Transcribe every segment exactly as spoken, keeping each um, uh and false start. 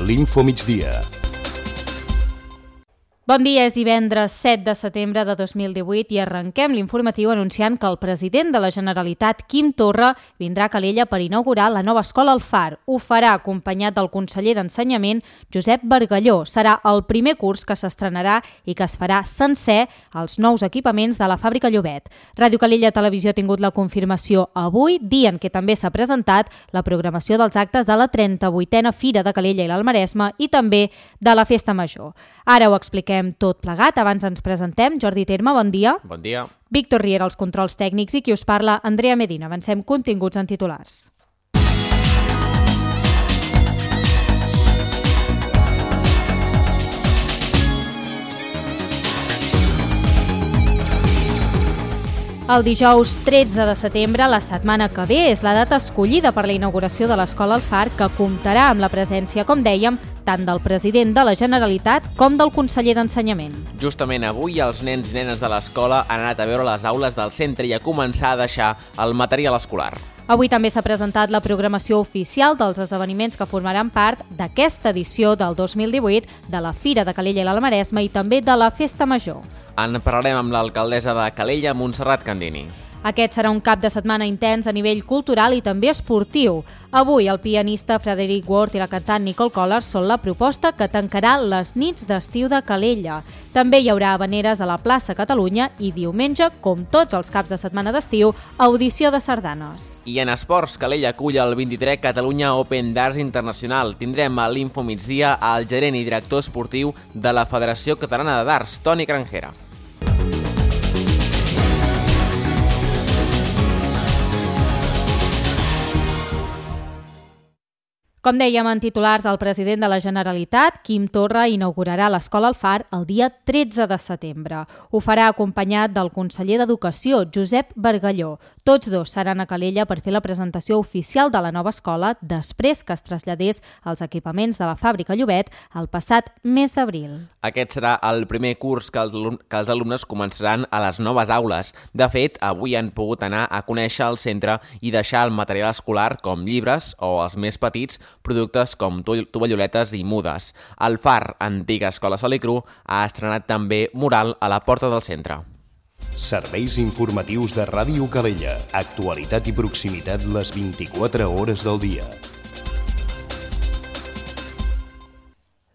l'Info Migdia. Bon dia, és divendres set de setembre de dos mil divuit i arrenquem l'informatiu anunciant que el president de la Generalitat, Quim Torra, vindrà a Calella per inaugurar la nova escola El Far. Ho farà acompanyat del conseller d'Ensenyament, Josep Bargalló. Serà el primer curs que s'estrenarà i que es farà sencer als nous equipaments de la fàbrica Llobet. Ràdio Calella Televisió ha tingut la confirmació avui, dia en què també s'ha presentat la programació dels actes de la trenta-vuitena Fira de Calella i l'Alt Maresme i també de la Festa Major. Ara ho expliquem tot plegat. Abans ens presentem. Jordi Terme, bon dia. Bon dia. Víctor Riera, els controls tècnics, i qui us parla, Andrea Medina. Avancem continguts en titulars. El dijous tretze de setembre, la setmana que ve, és la data escollida per la inauguració de l'Escola El Far, que comptarà amb la presència, com dèiem, tant del president de la Generalitat com del conseller d'Ensenyament. Justament avui els nens i nenes de l'escola han anat a veure les aules del centre i a començar a deixar el material escolar. Avui també s'ha presentat la programació oficial dels esdeveniments que formaran part d'aquesta edició del dos mil divuit de la Fira de Calella i l'Alt Maresme i també de la Festa Major. En parlarem amb l'alcaldessa de Calella, Montserrat Candini. Aquest serà un cap de setmana intens a nivell cultural i també esportiu. Avui el pianista Frederic Ward i la cantant Nicole Collars són la proposta que tancarà les nits d'estiu de Calella. També hi haurà habaneres a la plaça Catalunya i diumenge, com tots els caps de setmana d'estiu, audició de sardanes. I en esports, Calella acull el vint-i-tres Catalunya Open Darts Internacional. Tindrem a l'Info Migdia el gerent i director esportiu de la Federació Catalana de Darts, Toni Granjera. Com dèiem en titulars, el president de la Generalitat, Quim Torra, inaugurarà l'Escola El Far el dia tretze de setembre. Ho farà acompanyat del conseller d'Educació, Josep Bargalló. Tots dos seran a Calella per fer la presentació oficial de la nova escola després que es traslladés als equipaments de la fàbrica Llobet el passat mes d'abril. Aquest serà el primer curs que els, que els alumnes començaran a les noves aules. De fet, avui han pogut anar a conèixer el centre i deixar el material escolar com llibres o, els més petits, productes com tovalloletes i mudes. El Far, antiga escola Salicru, ha estrenat també mural a la porta del centre. Serveis informatius de Ràdio Calella. Actualitat i proximitat les vint-i-quatre hores del dia.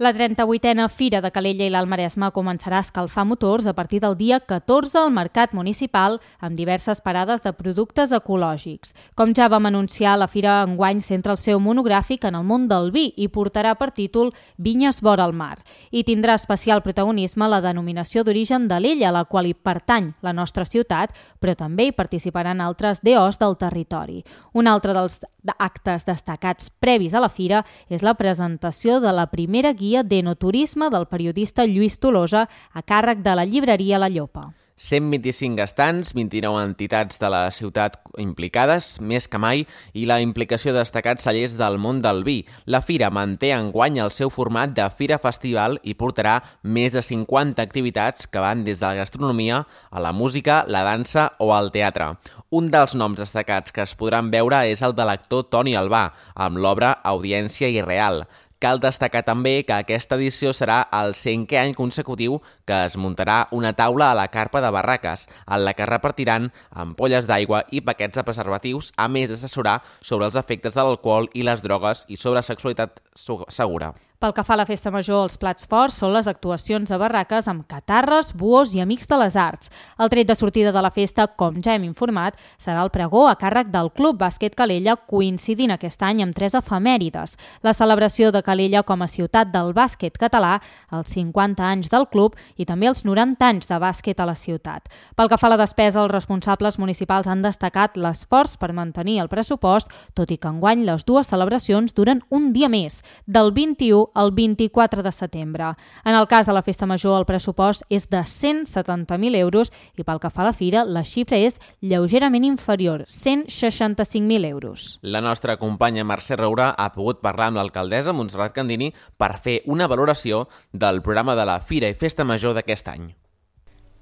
La trenta-vuitena Fira de Calella i l'Alt Maresme començarà a escalfar motors a partir del dia catorze al Mercat Municipal amb diverses parades de productes ecològics. Com ja vam anunciar, la Fira enguany centra el seu monogràfic en el món del vi i portarà per títol Vinyes vora el mar. I tindrà especial protagonisme la denominació d'origen d'Alella, a la qual hi pertany la nostra ciutat, però també hi participaran altres D Os del territori. Un altre dels actes destacats previs a la Fira és la presentació de la primera guia d'enoturisme del periodista Lluís Tolosa a càrrec de la llibreria La Llopa. cent vint-i-cinc estants, vint-i-nou entitats de la ciutat implicades, més que mai, i la implicació de destacats cellers del món del vi. La Fira manté enguany el seu format de Fira Festival i portarà més de cinquanta activitats que van des de la gastronomia a la música, la dansa o al teatre. Un dels noms destacats que es podran veure és el de l'actor Toni Albà, amb l'obra Audiència Irreal. Cal destacar també que aquesta edició serà el cinquè any consecutiu que es muntarà una taula a la carpa de Barraques, en la que repartiran ampolles d'aigua i paquets de preservatius, a més d'assessorar sobre els efectes de l'alcohol i les drogues i sobre sexualitat segura. Pel que fa a la Festa Major, els plats forts són les actuacions a barraques amb catarres, buos i amics de les arts. El tret de sortida de la festa, com ja hem informat, serà el pregó a càrrec del Club Bàsquet Calella, coincidint aquest any amb tres efemèrides. La celebració de Calella com a ciutat del bàsquet català, els cinquanta anys del club i també els noranta anys de bàsquet a la ciutat. Pel que fa a la despesa, els responsables municipals han destacat l'esforç per mantenir el pressupost, tot i que enguany les dues celebracions duren un dia més, del vint-i-u el vint-i-quatre de setembre. En el cas de la Festa Major, el pressupost és de cent setanta mil euros i pel que fa a la fira, la xifra és lleugerament inferior, cent seixanta-cinc mil euros. La nostra companya Mercè Roura ha pogut parlar amb l'alcaldessa Montserrat Candini per fer una valoració del programa de la Fira i Festa Major d'aquest any.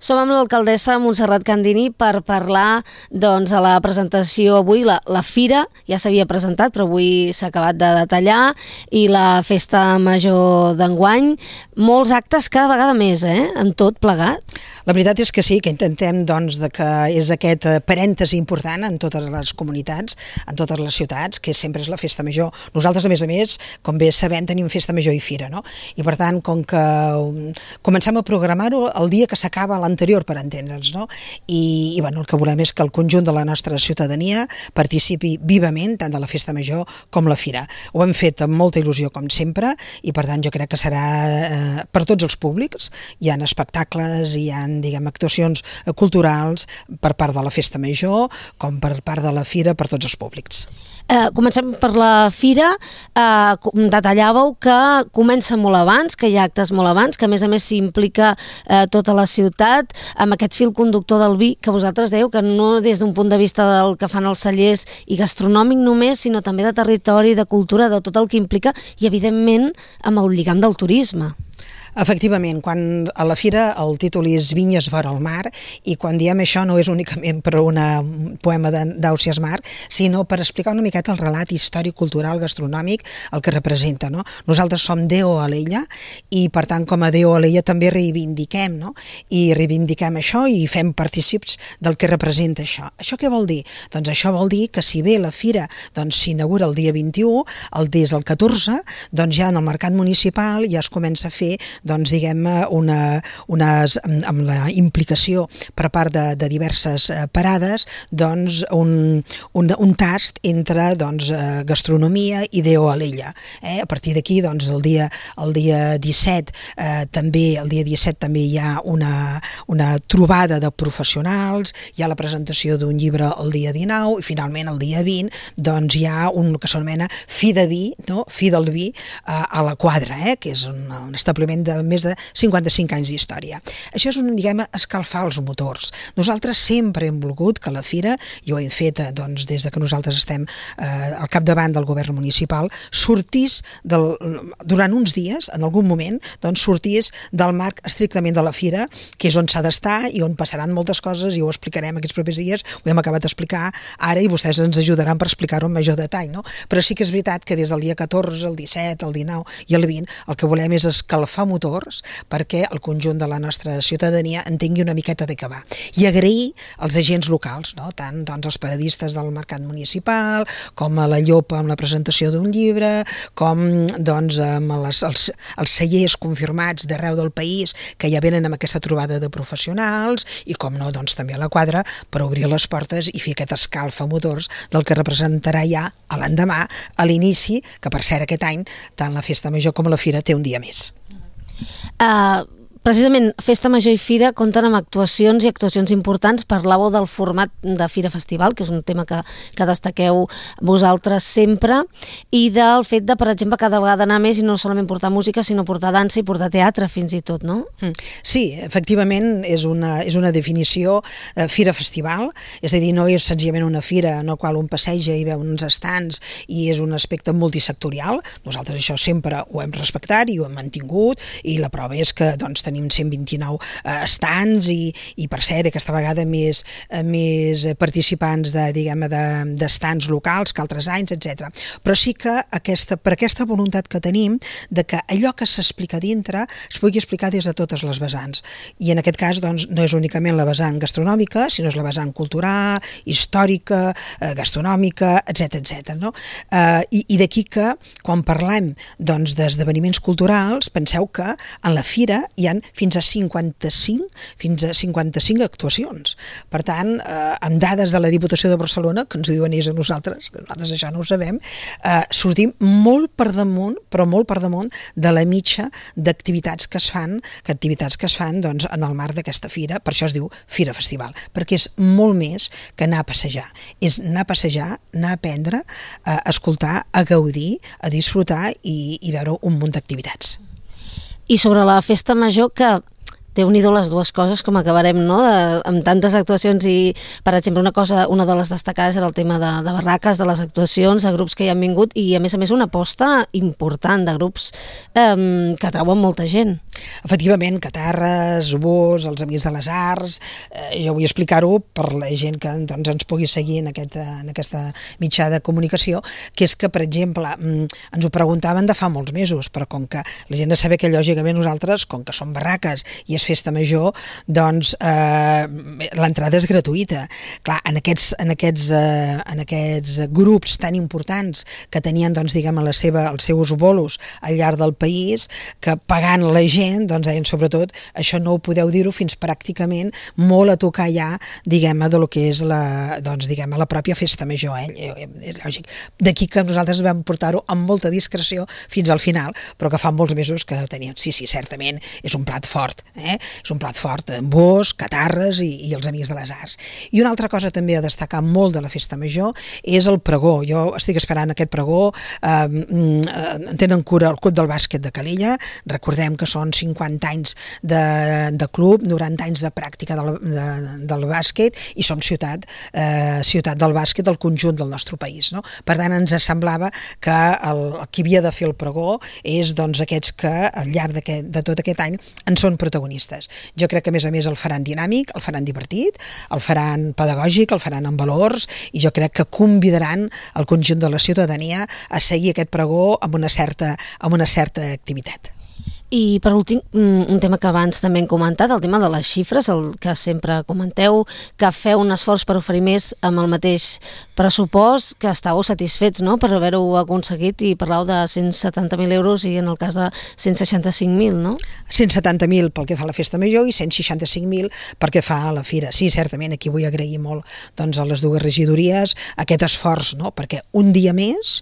Som amb l'alcaldessa Montserrat Candini per parlar doncs, de la presentació avui. La, la fira ja s'havia presentat, però avui s'ha acabat de detallar, i la festa major d'enguany. Molts actes cada vegada més, eh? En tot plegat. La veritat és que sí, que intentem doncs, de que és aquest parèntesi important en totes les comunitats, en totes les ciutats, que sempre és la festa major. Nosaltres, a més a més, com bé sabem, tenim festa major i fira, no? I per tant, com que comencem a programar-ho el dia que s'acaba l'anterior, per entendre'ns, no? I, i bueno, el que volem és que el conjunt de la nostra ciutadania participi vivament tant de la festa major com la fira. Ho hem fet amb molta il·lusió, com sempre, i per tant jo crec que serà eh, per tots els públics. Hi ha espectacles, hi ha, diguem, actuacions culturals per part de la festa major, com per part de la fira, per tots els públics. Eh, comencem per la fira. Eh, detallàveu que comença molt abans, que hi ha actes molt abans, que a més a més s'implica eh, tota la ciutat amb aquest fil conductor del vi, que vosaltres dèieu que no des d'un punt de vista del que fan els cellers i gastronòmic només, sinó també de territori, de cultura, de tot el que implica, i evidentment amb el lligam del turisme. Efectivament, quan a la fira el títol és Vinyes vora el mar, i quan diem això no és únicament per una poema d'Ausiàs Marc, sinó per explicar una miqueta el relat històric, cultural, gastronòmic, el que representa, no? Nosaltres som Deo Alella i per tant com a Deo Alella també reivindiquem, no? I reivindiquem això i fem partícips del que representa això. Això què vol dir? Doncs això vol dir que si bé la fira doncs, s'inaugura el dia vint-i-u, el des del catorze, doncs ja en el mercat municipal ja es comença a fer doncs diguem una, una, amb la implicació per part de, de diverses parades, doncs un, un, un tast entre doncs, gastronomia i Deo Alella. Eh? A partir d'aquí, doncs el dia, el dia disset eh, també, el dia disset també hi ha una, una trobada de professionals, hi ha la presentació d'un llibre el dia dinou i finalment el dia vint doncs hi ha un que s'anomena Fi de Vi, no? Fi del Vi eh, a la Quadra, eh? Que és un, un establiment de més de cinquanta-cinc anys d'història. Això és un, diguem, escalfar els motors. Nosaltres sempre hem volgut que la fira, i ho hem fet doncs, des de que nosaltres estem eh, al capdavant del govern municipal, sortís del, durant uns dies, en algun moment, doncs sortís del marc estrictament de la fira, que és on s'ha d'estar i on passaran moltes coses, i ho explicarem aquests propers dies, ho hem acabat d'explicar ara i vostès ens ajudaran per explicar-ho amb major detall, no? Però sí que és veritat que des del dia catorze, el disset, el dinou i el vint, el que volem és escalfar motors perquè el conjunt de la nostra ciutadania entengui una miqueta de què va. I agrair als agents locals, no? Tant doncs, els paradistes del mercat municipal, com a la Llopa amb la presentació d'un llibre, com doncs, amb les, els, els cellers confirmats d'arreu del país que ja venen amb aquesta trobada de professionals, i com no, doncs, també a la Quadra per obrir les portes i fer aquest escalfa motors del que representarà ja a l'endemà, a l'inici, que per cert aquest any tant la festa major com la fira té un dia més. Uh, precisament Festa Major i Fira compten amb actuacions i actuacions importants. Parlàveu del format de Fira Festival, que és un tema que, que destaqueu vosaltres sempre, i del fet de, per exemple, cada vegada anar més i no solament portar música, sinó portar dansa i portar teatre fins i tot, no? Sí, efectivament és una, és una definició eh, Fira Festival, és a dir, no és senzillament una fira en la qual un passeja i veu uns estants i és un aspecte multisectorial. Nosaltres això sempre ho hem respectat i ho hem mantingut, i la prova és que doncs, tenim cent vint-i-nou eh, estants i, i per cert aquesta vegada més, eh, més participants de, diguem, de, d'estants locals que altres anys, etcètera. Però sí que aquesta, per aquesta voluntat que tenim de que allò que s'explica dintre es pugui explicar des de totes les vessants, i en aquest cas doncs, no és únicament la vessant gastronòmica, sinó és la vessant cultural, històrica, eh, gastronòmica, etcètera, etcètera, no? Eh, i, i d'aquí que quan parlem doncs, d'esdeveniments culturals, penseu que en la fira hi ha fins a cinquanta-cinc, fins a cinquanta-cinc actuacions. Per tant, eh, amb dades de la Diputació de Barcelona, que ens ho diuen ells a nosaltres, que nosaltres això no ho sabem, eh, sortim molt per damunt, però molt per damunt de la mitja d'activitats que es fan, que activitats que es fan doncs, en el marc d'aquesta fira. Per això es diu Fira Festival, perquè és molt més que anar a passejar. És anar a passejar, anar a aprendre, a escoltar, a gaudir, a disfrutar i, i veure un munt d'activitats. I sobre la festa major, que Déu-n'hi-do les dues coses, com acabarem, no?, de, amb tantes actuacions i, per exemple, una cosa, una de les destacades era el tema de, de barraques, de les actuacions, de grups que hi han vingut i, a més a més, una aposta important de grups eh, que atrauen molta gent. Efectivament, Catarres, Búhos, els Amics de les Arts, eh, jo vull explicar-ho per la gent que doncs, ens pugui seguir en, aquest, en aquesta mitjà de comunicació, que és que, per exemple, ens ho preguntaven de fa molts mesos, però com que la gent ha de saber que, lògicament, nosaltres, com que som barraques i és festa major, doncs eh, l'entrada és gratuïta. Clar, en aquests, en aquests, eh, en aquests grups tan importants que tenien, doncs, diguem, la seva, els seus bolos al llarg del país, que pagant la gent, doncs deien, sobretot, això no ho podeu dir-ho fins pràcticament molt a tocar ja, diguem, de lo que és la, doncs, diguem, la pròpia festa major. Eh? És lògic. D'aquí que nosaltres vam portar-ho amb molta discreció fins al final, però que fa molts mesos que teníem, sí, sí, certament, és un plat fort, eh? És un plat fort, amb Búhos, Catarres i, i els Amics de les Arts. I una altra cosa també a destacar molt de la festa major és el pregó. Jo estic esperant aquest pregó, eh, en tenen cura el Club del Bàsquet de Calella, recordem que són cinquanta anys de, de club, noranta anys de pràctica del, de, del bàsquet i som ciutat, eh, ciutat del bàsquet del conjunt del nostre país. No? Per tant, ens semblava que el, el qui havia de fer el pregó és doncs, aquests que al llarg de tot aquest any en són protagonistes. Jo crec que, a més a més, el faran dinàmic, el faran divertit, el faran pedagògic, el faran amb valors, i jo crec que convidaran el conjunt de la ciutadania a seguir aquest pregó amb una certa, amb una certa activitat. I per últim, un tema que abans també hem comentat, el tema de les xifres, el que sempre comenteu, que feu un esforç per oferir més amb el mateix pressupost, que estàveu satisfets, no?, per haver-ho aconseguit, i parlau de cent setanta mil euros i en el cas de cent seixanta-cinc mil, no? cent setanta mil pel que fa a la festa major i cent seixanta-cinc mil pel que fa a la fira. Sí, certament, aquí vull agrair molt doncs, a les dues regidories aquest esforç, no?, perquè un dia més,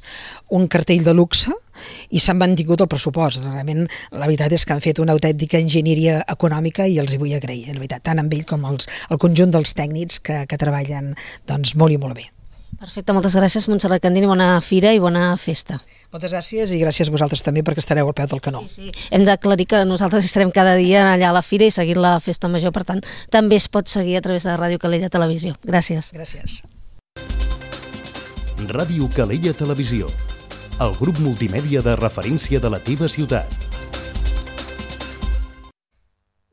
un cartell de luxe, i s'han mantingut el pressupost. Realment, la veritat és que han fet una autèntica enginyeria econòmica i els hi vull agrair, la veritat, tant amb ell com els, el conjunt dels tècnics que, que treballen doncs, molt i molt bé. Perfecte, moltes gràcies, Montserrat Candini, bona fira i bona festa. Moltes gràcies i gràcies a vosaltres també perquè estareu al peu del canó. Sí, sí. Hem d'aclarir que nosaltres estarem cada dia allà a la fira i seguint la festa major, per tant, també es pot seguir a través de Ràdio Calella Televisió. Gràcies. Gràcies. Ràdio Calella Televisió, el grup multimèdia de referència de la teva ciutat.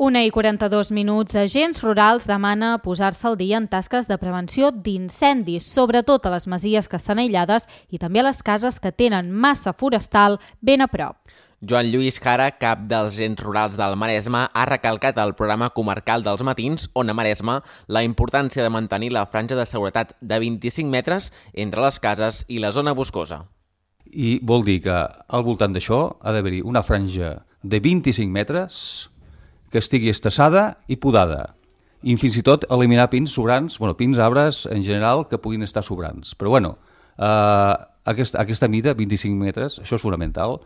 Una i quaranta-dos minuts, agents rurals demana posar-se al dia en tasques de prevenció d'incendis, sobretot a les masies que estan aïllades i també a les cases que tenen massa forestal ben a prop. Joan Lluís Jara, cap dels agents rurals del Maresme, ha recalcat al programa comarcal dels matins, Ona Maresme, la importància de mantenir la franja de seguretat de vint-i-cinc metres entre les cases i la zona boscosa. I vol dir que al voltant d'això ha d'haver-hi una franja de vint-i-cinc metres que estigui estassada i podada. I fins i tot eliminar pins sobrants, bueno, pins, arbres en general, que puguin estar sobrants. Però bueno, eh, aquesta, aquesta mida, vint-i-cinc metres, això és fonamental,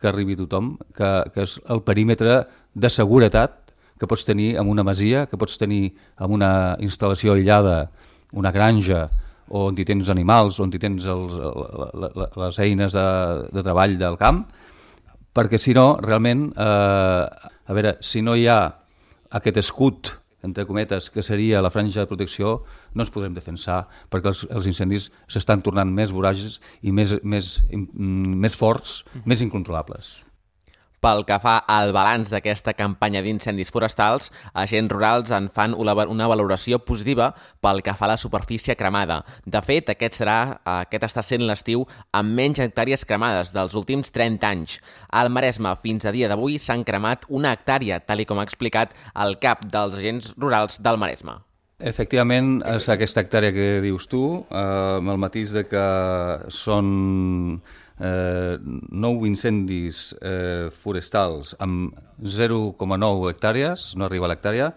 que arribi tothom, que, que és el perímetre de seguretat que pots tenir en una masia, que pots tenir en una instal·lació aïllada, una granja, on hi tens animals, on hi tens els, les eines de, de treball del camp, perquè si no, realment, eh, a veure, si no hi ha aquest escut, entre cometes, que seria la franja de protecció, no ens podrem defensar, perquè els, els incendis s'estan tornant més vorages i més, més, més forts, més incontrolables. Pel que fa al balanç d'aquesta campanya d'incendis forestals, agents rurals en fan una valoració positiva pel que fa a la superfície cremada. De fet, aquest, serà, aquest està sent l'estiu amb menys hectàrees cremades dels últims trenta anys. Al Maresme, fins a dia d'avui, s'han cremat una hectàrea, tal com ha explicat el cap dels agents rurals del Maresme. Efectivament, és aquesta hectàrea que dius tu, eh, amb el matís de que són Eh, nou incendis eh, forestals amb zero coma nou hectàrees, no arriba a l'hectàrea,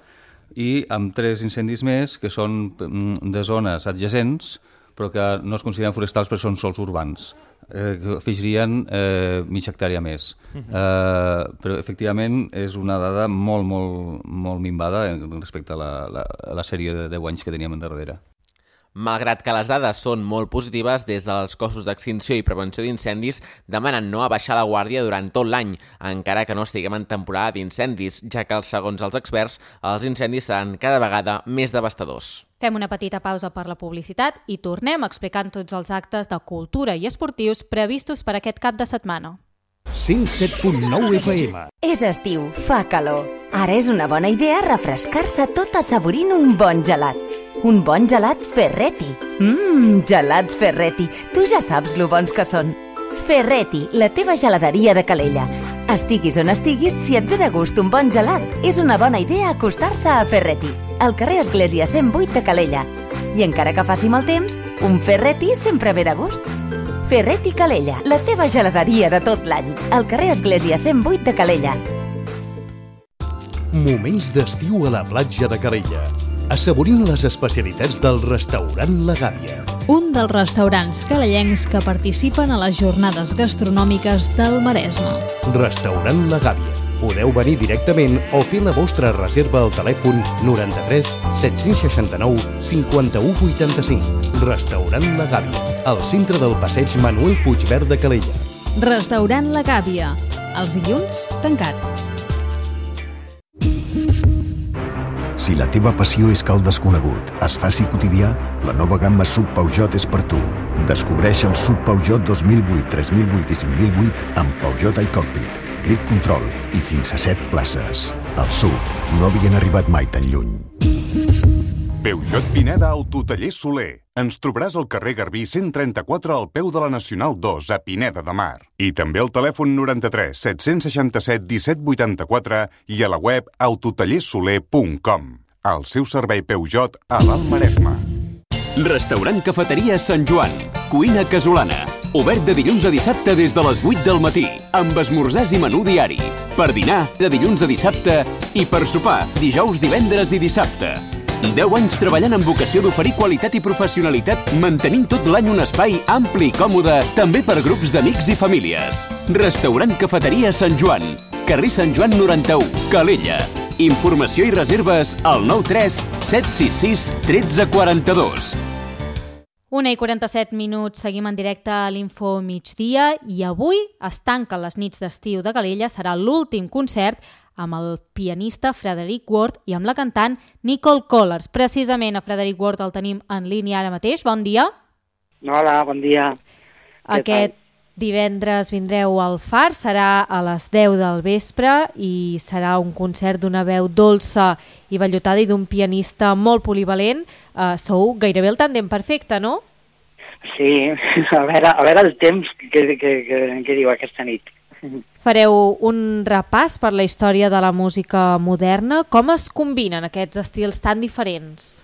i amb tres incendis més que són de zones adjacents però que no es consideren forestals perquè són sols urbans, eh, que afegirien eh, mitja hectàrea més. Eh, però efectivament és una dada molt, molt, molt minvada respecte a la, la, a la sèrie de deu anys que teníem endarrere. Malgrat que les dades són molt positives, des dels cossos d'extinció i prevenció d'incendis demanen no abaixar la guàrdia durant tot l'any, encara que no estiguem en temporada d'incendis, ja que, segons els experts, els incendis seran cada vegada més devastadors. Fem una petita pausa per la publicitat i tornem explicant tots els actes de cultura i esportius previstos per aquest cap de setmana. cent set punt nou F M. És estiu, fa calor. Ara és una bona idea refrescar-se tot assaborint un bon gelat. Un bon gelat Ferretti. Mmm, gelats Ferretti. Tu ja saps lo bons que són. Ferretti, la teva geladeria de Calella. Estiguis on estiguis, si et ve de gust un bon gelat, és una bona idea acostar-se a Ferretti, al carrer Església cent vuit de Calella. I encara que faci mal temps, un Ferretti sempre ve de gust. Ferretti Calella, la teva geladeria de tot l'any, al carrer Església cent vuit de Calella. Moments d'estiu a la platja de Calella, assaborint les especialitats del restaurant La Gàbia. Un dels restaurants calellencs que participen a les jornades gastronòmiques del Maresme. Restaurant La Gàbia. Podeu venir directament o fer la vostra reserva al telèfon noranta-tres set-cents seixanta-nou cinquanta-u vuitanta-cinc. Restaurant La Gàbia, al centre del passeig Manuel Puigverd de Calella. Restaurant La Gàbia. Els dilluns, tancat. Si la teva passió és que el desconegut es faci quotidià, la nova gamma S U V Peugeot és per tu. Descobreix el S U V Peugeot dos mil vuit, tres mil vuit i cinc mil vuit amb Peugeot iCockpit, Grip Control i fins a set places. Els S U V no havien arribat mai tan lluny. Peugeot Pineda Autotaller Soler. Ens trobaràs al carrer Garbí cent trenta-quatre al peu de la Nacional dos a Pineda de Mar. I també al telèfon noranta-tres set-cents seixanta-set disset vuitanta-quatre i a la web autotallersoler punt com. El seu servei Peugeot a l'Alt Maresme. Restaurant Cafeteria Sant Joan. Cuina casolana. Obert de dilluns a dissabte des de les vuit del matí, amb esmorzars i menú diari. Per dinar, de dilluns a dissabte, i per sopar, dijous, divendres i dissabte. deu anys treballant amb vocació d'oferir qualitat i professionalitat, mantenint tot l'any un espai ampli i còmode, també per grups d'amics i famílies. Restaurant Cafeteria Sant Joan, carrer Sant Joan noranta-u, Calella. Informació i reserves al nou tres set sis sis un tres quatre dos. una i quaranta-set minuts, seguim en directe a l'Info Migdia i avui es tanquen les nits d'estiu de Calella, serà l'últim concert amb el pianista Frederic Ward i amb la cantant Nicole Collars. Precisament a Frederic Ward el tenim en línia ara mateix. Bon dia. Hola, bon dia. Aquest divendres vindreu al Far, serà a les deu del vespre i serà un concert d'una veu dolça i vellutada i d'un pianista molt polivalent. Uh, sou gairebé el tàndem perfecte, no? Sí, a veure, a veure el temps que, que, que, que diu aquesta nit. Fareu un repàs per la història de la música moderna. Com es combinen aquests estils tan diferents?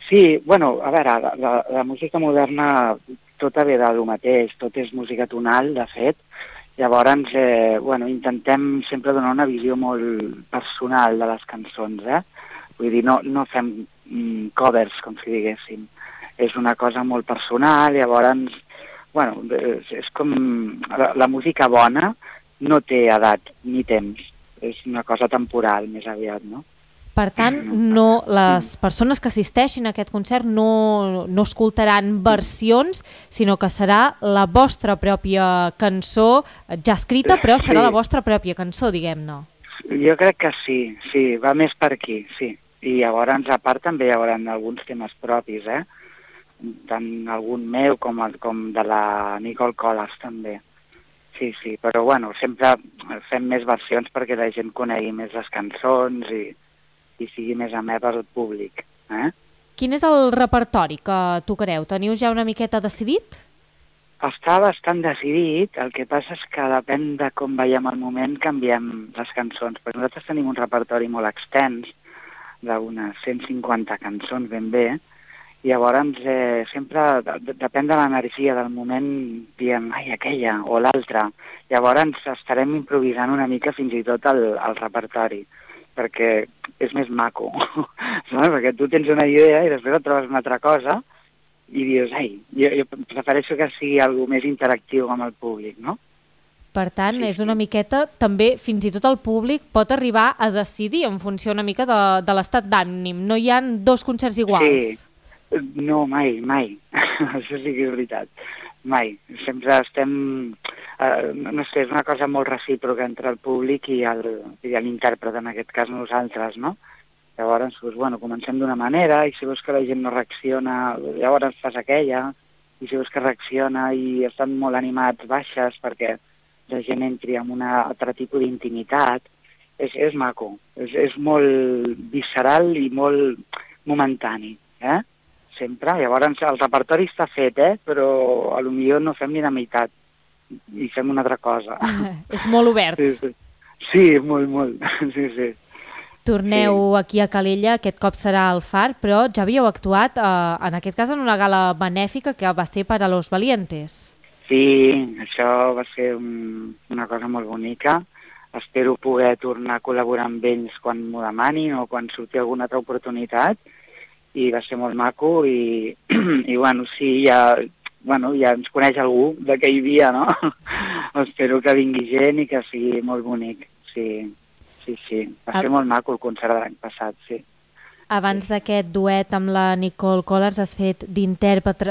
Sí, bueno, a veure, la, la, la música moderna tota ve del mateix, tot és música tonal, de fet. Llavors, eh, bueno, intentem sempre donar una visió molt personal de les cançons, eh? Vull dir, no, no fem mm, covers, com si diguéssim. És una cosa molt personal, llavors... Bueno, és, és com... La, la música bona no té edat ni temps. És una cosa temporal, més aviat, no? Per tant, no, les persones que assisteixin a aquest concert no, no escoltaran versions, sinó que serà la vostra pròpia cançó, ja escrita, però serà sí. La vostra pròpia cançó, diguem-ne. Jo crec que sí, sí, va més per aquí, sí. I llavors, a part, també hi haurà alguns temes propis, eh? Tant algun meu com, el, com de la Nicole Collars també. Sí, sí, però bueno, sempre fem més versions perquè la gent conegui més les cançons i, i sigui més amè per al públic. Eh? Quin és el repertori que tocareu? Teniu ja una miqueta decidit? Està bastant decidit, el que passa és que depèn de com veiem el moment canviem les cançons, perquè nosaltres tenim un repertori molt extens, d'unes cent cinquanta cançons ben bé. Llavors, eh, sempre de, depèn de l'energia del moment, diem, ai, aquella o l'altra. Llavors estarem improvisant una mica fins i tot el, el repertori, perquè és més maco, no? Perquè tu tens una idea i després et trobes una altra cosa i dius, ai, jo, jo prefereixo que sigui algo més interactiu amb el públic, no? Per tant, sí, és una miqueta, també fins i tot el públic pot arribar a decidir en funció una mica de, de l'estat d'ànim. No hi ha dos concerts iguals. Sí. No, mai, mai. Això sí que és veritat. Mai. Sempre estem... Eh, no sé, és una cosa molt recíproca entre el públic i el, i l'intèrpret, en aquest cas nosaltres, no? Llavors, doncs, bueno, comencem d'una manera i si veus que la gent no reacciona, llavors fas aquella, i si veus que reacciona i estan molt animats, baixes perquè la gent entri en un altre tipus d'intimitat. És, és maco, és, és molt visceral i molt momentani, eh? Sempre. Llavors el repertori està fet, eh? Però a lo millor no fem ni la meitat i fem una altra cosa. És molt obert. Sí, sí. Sí, molt, molt. Sí, sí. Torneu sí. aquí a Calella, aquest cop serà al Far, però ja havíeu actuat, eh, en aquest cas, en una gala benèfica que va ser per a Los Valientes. Sí, això va ser un, una cosa molt bonica. Espero poder tornar a col·laborar amb ells quan m'ho demanin o quan surti alguna altra oportunitat. I va ser molt maco i, i bueno, sí, ja, bueno, ja ens coneix algú d'aquell dia, no? Espero que vingui gent i que sigui molt bonic. Sí, sí, sí. Va ser molt maco el concert de l'any passat, sí. Abans d'aquest duet amb la Nicole Collars has fet d'intèrpret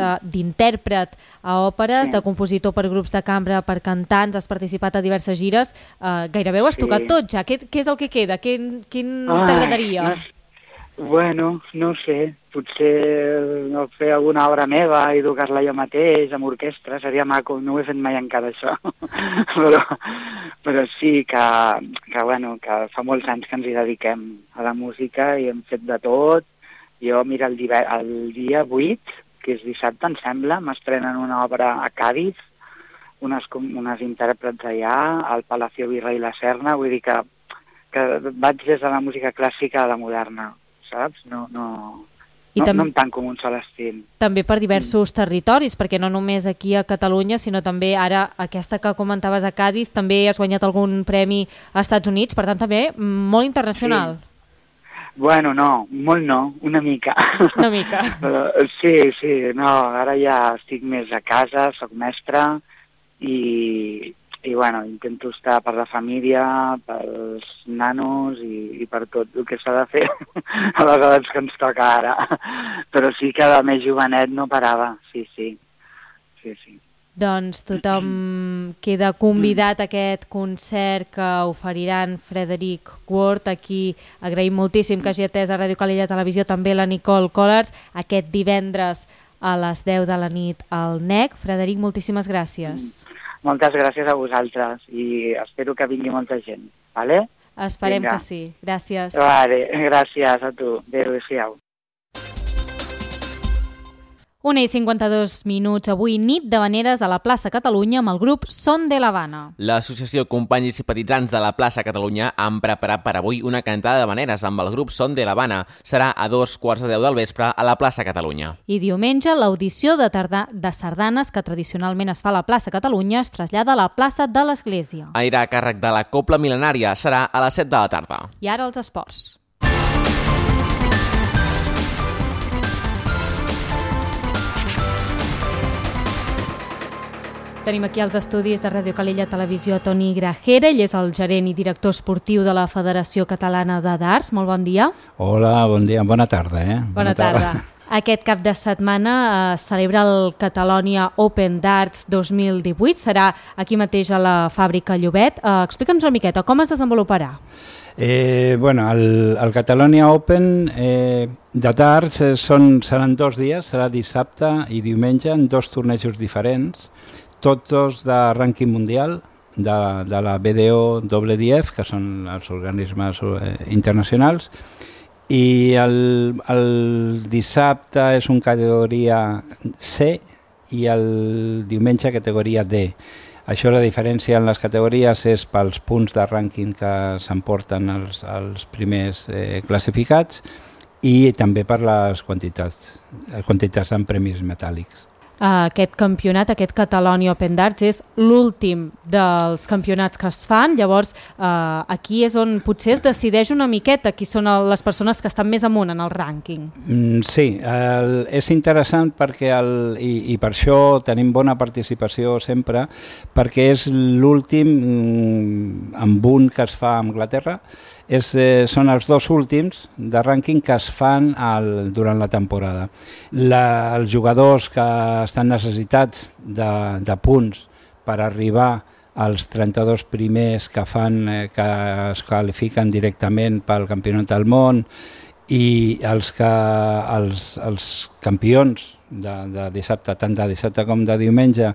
a òperes, sí. de compositor per grups de cambra, per cantants, has participat a diverses gires. Uh, gairebé ho has tocat sí. tot ja. Què, què és el que queda? Quin, quin t'agradaria? No, bueno, no sé. Potser no, fer alguna obra meva i tocar-la jo mateix amb orquestra. Seria maco. No ho he fet mai encara, això. però, però sí que, que, bueno, que fa molts anys que ens hi dediquem a la música i hem fet de tot. Jo, mira, el dia, el dia vuit, que és dissabte, em sembla, m'estrenen una obra a Càdiz, unes, unes intèrprets allà, al Palacio Virrey La Serna, vull dir que, que vaig des de la música clàssica a la moderna, saps? No, no, no, no em tanco en un sol estil. També per diversos mm. territoris, perquè no només aquí a Catalunya, sinó també ara aquesta que comentaves a Càdiz, també has guanyat algun premi als Estats Units, per tant també molt internacional. Sí. Bueno, no, molt no, una mica. Una mica. Sí, sí, no, ara ja estic més a casa, soc mestre i, i bueno, intento estar per la família, pels nanos i, i per tot el que s'ha de fer a les edats que ens toca ara. Però sí que de més jovenet no parava, sí, sí, sí, sí. Doncs tothom queda convidat a aquest concert que oferiran Frederic Ward. Aquí agraïm moltíssim que hagi atès a Ràdio Calella Televisió també la Nicole Collars aquest divendres a les deu de la nit al N E C. Frederic, moltíssimes gràcies. Moltes gràcies a vosaltres i espero que vingui molta gent, vale? Esperem Vinga. Que sí. Gràcies. Vale, gràcies a tu. Adéu-siau. una i cinquanta-dos minuts, avui nit de Vaneres a la plaça Catalunya amb el grup Son de l'Havana. L'Associació Companys i Simpatitzants de la plaça Catalunya han preparat per avui una cantada de Vaneres amb el grup Son de l'Havana. Serà a dos quarts de deu del vespre a la plaça Catalunya. I diumenge l'audició de, tarda... de sardanes que tradicionalment es fa a la plaça Catalunya es trasllada a la plaça de l'Església. Anirà a càrrec de la Cobla Mil·lenària. Serà a les set de la tarda. I ara els esports. Tenim aquí als estudis de Ràdio Calella Televisió Toni Grajera, ell és el gerent i director esportiu de la Federació Catalana de Darts. Molt bon dia. Hola, bon dia, bona tarda. Eh? Bona, bona tarda. tarda. Aquest cap de setmana eh, celebra el Catalonia Open Darts dos mil divuit, serà aquí mateix a la fàbrica Llobet. Eh, Explica'ns una miqueta, com es desenvoluparà? Eh, bueno, el, el Catalonia Open eh, de darts eh, són, seran dos dies, serà dissabte i diumenge en dos tornejos diferents, tots dos de rànquing mundial, de, de la B D O W D F, que són els organismes eh, internacionals, i el, el dissabte és una categoria C i el diumenge categoria D. Això, la diferència en les categories és pels punts de rànquing que s'emporten els, els primers eh, classificats i també per les quantitats, les quantitats en premis metàl·lics. aquest campionat, aquest Catalonia Open Darts, és l'últim dels campionats que es fan, llavors eh, aquí és on potser es decideix una miqueta qui són les persones que estan més amunt en el rànquing. Mm, sí, el, és interessant perquè, el, i, i per això tenim bona participació sempre, perquè és l'últim mm, amb un que es fa a Anglaterra, és, eh, són els dos últims de rànquing que es fan al, durant la temporada. La, els jugadors que estan necessitats de, de punts per arribar als trenta-dos primers que fan, eh, que es qualifiquen directament pel Campionat del Món, i els, que, els, els campions de, de dissabte, tant de dissabte com de diumenge,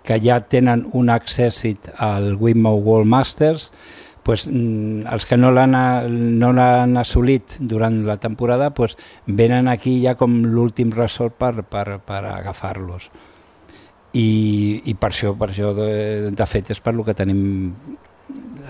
que ja tenen un accèssit al Wimbledon World Masters, pues, els que no l'han no l'han assolit durant la temporada pues, venen aquí ja com l'últim ressort per, per, per agafar-los. I, i per això, per això de, de fet, és per lo que tenim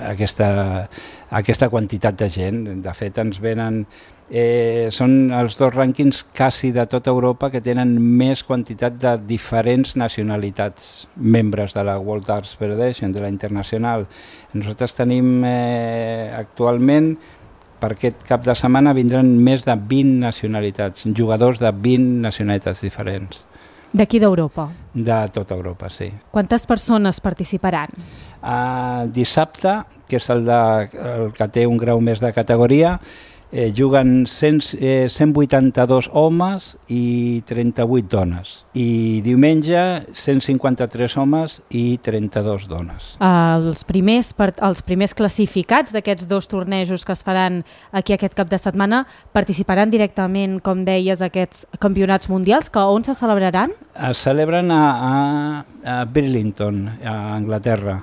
aquesta, aquesta quantitat de gent. De fet, ens venen... Eh, són els dos rànquings quasi de tota Europa que tenen més quantitat de diferents nacionalitats membres de la World Darts Federation, de la internacional. Nosaltres tenim eh, actualment, per aquest cap de setmana, vindran més de vint nacionalitats, jugadors de vint nacionalitats diferents. D'aquí d'Europa? De tota Europa, sí. Quantes persones participaran? Uh, dissabte, que és el, de, el que té un grau més de categoria, Eh, juguen cent, eh, cent vuitanta-dos homes i trenta-vuit dones. I diumenge cent cinquanta-tres homes i trenta-dos dones. Els primers, els primers classificats d'aquests dos tornejos que es faran aquí aquest cap de setmana participaran directament, com deies, aquests campionats mundials, que on se celebraran? Es celebren a, a, a Burlington, a Anglaterra.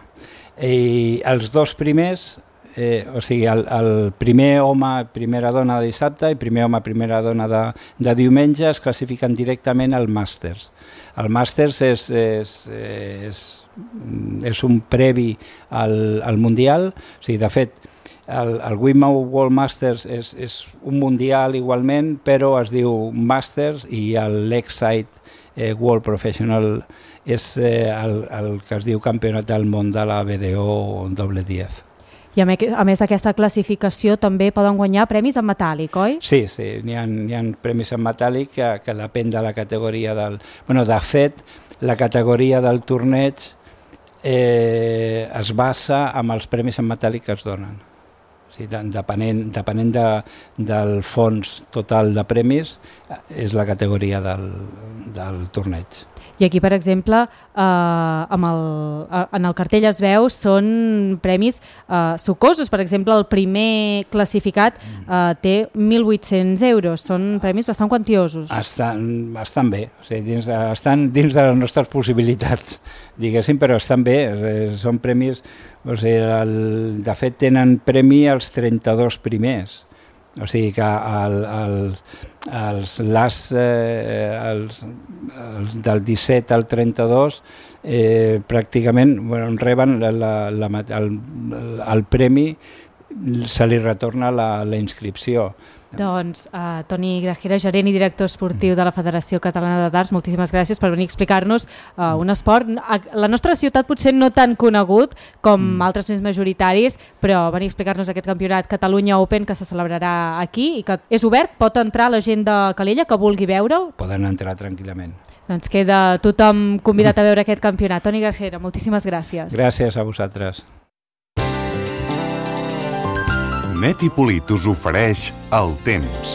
I els dos primers... Eh, o sigui, el, el primer home, primera dona de dissabte i primer home, primera dona de, de diumenge es classifiquen directament al Masters. El Masters és, és, és, és un previ al, al Mundial, o sigui, de fet, el, el Wimbledon World Masters és, és un Mundial igualment, però es diu Masters, i l'Excite eh, World Professional és eh, el, el que es diu Campionat del Món de la B D O doble diez. I a més d'aquesta classificació també poden guanyar premis en metàl·lic, oi? Sí, sí, n'hi ha, n'hi ha premis en metàl·lic que, que depèn de la categoria del... Bueno, de fet, la categoria del torneig eh, es basa en els premis en metàl·lic que es donen. O sigui, depenent, depenent de, del fons total de premis, és la categoria del, del torneig. I aquí, per exemple, eh, amb el, en el cartell es veu, són premis eh, sucosos. Per exemple, el primer classificat eh, té mil vuit-cents euros. Són premis bastant quantiosos. Estan, estan bé, o sigui, dins de, estan dins de les nostres possibilitats, diguéssim, però estan bé. Eh, són premis, o sigui, el, de fet, tenen premi als trenta-dos primers. O sigui que el, el, els, les, eh, els, els del disset al trenta-dos eh, pràcticament bueno, reben la, la, la, el, el premi, se li retorna la, la inscripció. Doncs uh, Toni Grajera, gerent i director esportiu de la Federació Catalana de Darts, moltíssimes gràcies per venir a explicar-nos uh, un esport, a la nostra ciutat potser no tan conegut com mm. altres més majoritaris, però venir a explicar-nos aquest campionat Catalunya Open que se celebrarà aquí i que és obert, pot entrar la gent de Calella que vulgui veure'l? Poden entrar tranquil·lament. Doncs queda tothom convidat a veure aquest campionat. Toni Grajera, moltíssimes gràcies. Gràcies a vosaltres. Net i Polit us ofereix el temps.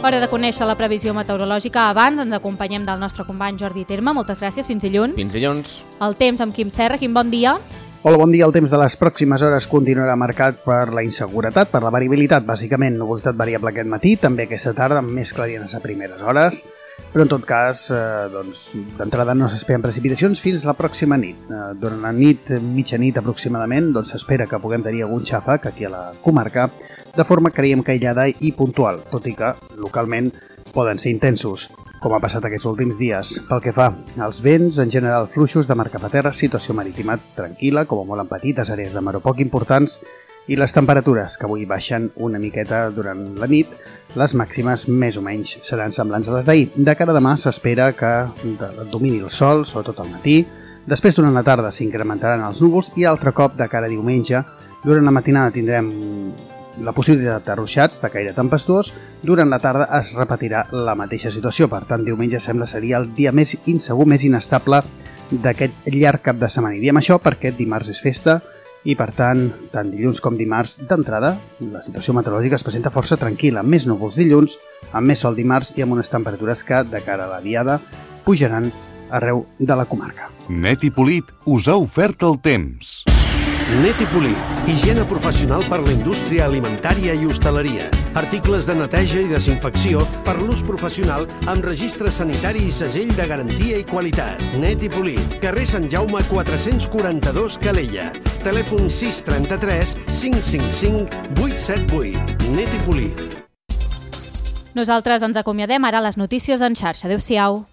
Hora de conèixer la previsió meteorològica. Abans ens acompanyem del nostre company Jordi Terme. Moltes gràcies, fins dilluns. Fins dilluns. El temps amb Quim Serra. Quim, bon dia. Hola, bon dia. El temps de les pròximes hores continuarà marcat per la inseguretat, per la variabilitat, bàsicament nuvolositat variable aquest matí, també aquesta tarda amb més clarianes a primeres hores, però en tot cas, eh, doncs, d'entrada no s'esperen precipitacions fins la pròxima nit. Eh, durant la nit, mitjanit aproximadament, doncs s'espera que puguem tenir algun xàfec aquí a la comarca, de forma creiem que aïllada i puntual, tot i que localment poden ser intensos, com ha passat aquests últims dies. Pel que fa als vents, en general fluixos de mar cap a terra, situació marítima tranquil·la, com a molt en petites àrees de mar o poc importants, I les temperatures, que avui baixen una miqueta durant la nit, les màximes més o menys seran semblants a les d'ahir. De cara a demà s'espera que domini el sol, sobretot al matí. Després, durant la tarda, s'incrementaran els núvols i altre cop, de cara a diumenge, durant la matinada tindrem la possibilitat de ruixats de caire tempestuós. Durant la tarda es repetirà la mateixa situació. Per tant, diumenge sembla seria el dia més insegur, més inestable d'aquest llarg cap de setmana. I diem això perquè dimarts és festa i, per tant, tant dilluns com dimarts, d'entrada, la situació meteorològica es presenta força tranquil·la, amb més núvols dilluns, amb més sol dimarts i amb unes temperatures que, de cara a la diada, pujaran arreu de la comarca. Net i Polit us ha ofert el temps. Net i Polit, higiene professional per la indústria alimentària i hostaleria. Articles de neteja i desinfecció per l'ús professional amb registre sanitari i segell de garantia i qualitat. Net i Polit, carrer Sant Jaume quatre-cents quaranta-dos, Calella. Telèfon sis trenta-tres cinc cinc cinc vuit set vuit. Net i Polit. Nosaltres ens acomiadem ara a les notícies en xarxa. Adéu-siau.